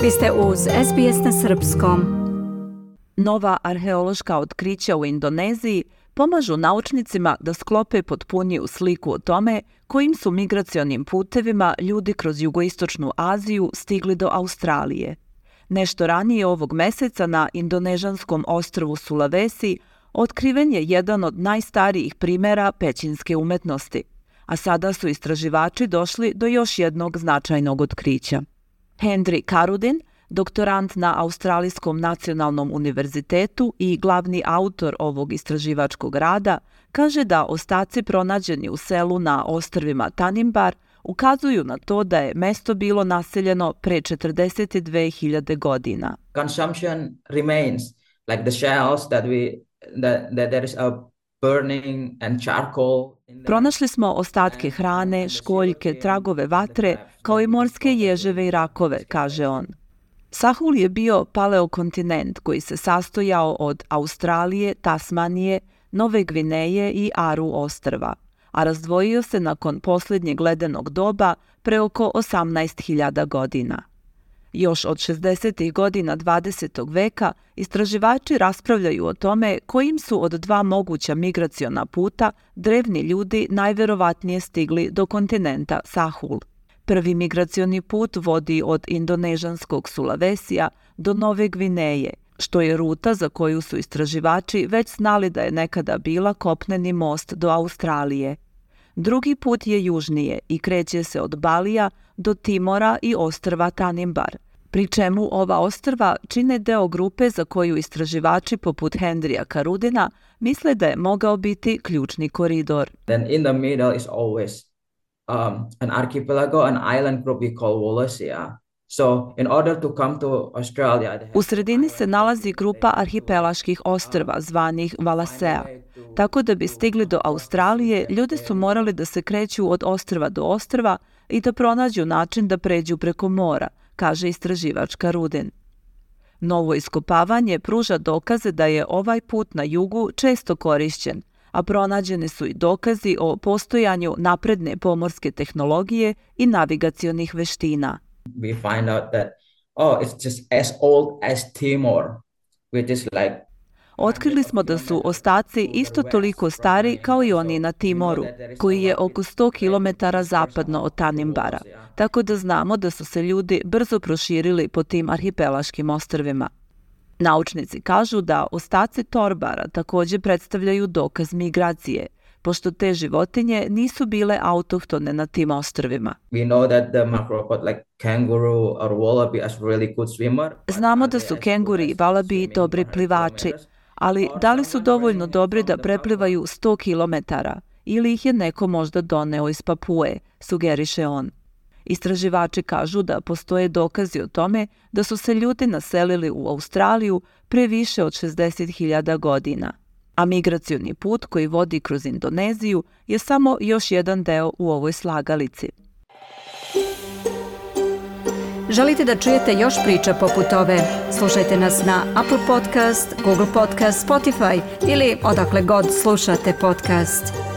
Vi ste uz SBS na srpskom. Nova arheološka otkrića u Indoneziji pomažu naučnicima da sklope potpuniju sliku o tome kojim su migracionim putevima ljudi kroz jugoistočnu Aziju stigli do Australije. Nešto ranije ovog meseca na indonežanskom ostrvu Sulawesi otkriven je jedan od najstarijih primjera pećinske umetnosti, a sada su istraživači došli do još jednog značajnog otkrića. Hendry Karudin, doktorant na Australijskom nacionalnom univerzitetu i glavni autor ovog istraživačkog rada, kaže da ostaci pronađeni u selu na ostrvima Tanimbar ukazuju na to da je mesto bilo naseljeno pre 42.000 godina. Consumption remains, like the shells that there is a burning and charcoal. Pronašli smo ostatke hrane, školjke, tragove vatre, kao i morske ježeve i rakove, kaže on. Sahul je bio paleokontinent koji se sastojao od Australije, Tasmanije, Nove Gvineje i Aru ostrva, a razdvojio se nakon posljednjeg ledenog doba pre oko 18.000 godina. Još od 60. godina 20. veka istraživači raspravljaju o tome kojim su od dva moguća migraciona puta drevni ljudi najverovatnije stigli do kontinenta Sahul. Prvi migracioni put vodi od indonežanskog Sulawesija do Nove Gvineje, što je ruta za koju su istraživači već znali da je nekada bila kopneni most do Australije. Drugi put je južnije i kreće se od Balija do Timora i ostrva Tanimbar, pri čemu ova ostrva čine deo grupe za koju istraživači poput Hendrya Karudina misle da je mogao biti ključni koridor. Then in the middle is always an archipelago, an island group we call Wallacea. So in order to come to Australia, u sredini se nalazi grupa arhipelaških ostrva zvanih Wallacea. Tako da bi stigli do Australije, ljudi su morali da se kreću od ostrva do ostrva i da pronađu način da pređu preko mora, kaže istraživač Karudin. Novo iskopavanje pruža dokaze da je ovaj put na jugu često korišćen, a pronađeni su i dokazi o postojanju napredne pomorske tehnologije i navigacionih veština. We find out that it's just as old as Timor, which is like. Otkrili smo da su ostaci isto toliko stari kao i oni na Timoru, koji je oko 100 km zapadno od Tanimbara, tako da znamo da su se ljudi brzo proširili po tim arhipelaškim ostrvima. Naučnici kažu da ostaci torbara također predstavljaju dokaz migracije, pošto te životinje nisu bile autohtone na tim ostrvima. We know that the macropod like kangaroo or wallaby is really good swimmer. Znamo da su kenguri i valabi dobri plivači, ali da li su dovoljno dobri da preplivaju 100 km ili ih je neko možda doneo iz Papue, sugeriše on. Istraživači kažu da postoje dokazi o tome da su se ljudi naselili u Australiju pre više od 60.000 godina, a migracioni put koji vodi kroz Indoneziju je samo još jedan deo u ovoj slagalici. Želite da čujete još priča poput ove? Slušajte nas na Apple Podcast, Google Podcast, Spotify ili odakle god slušate podcast.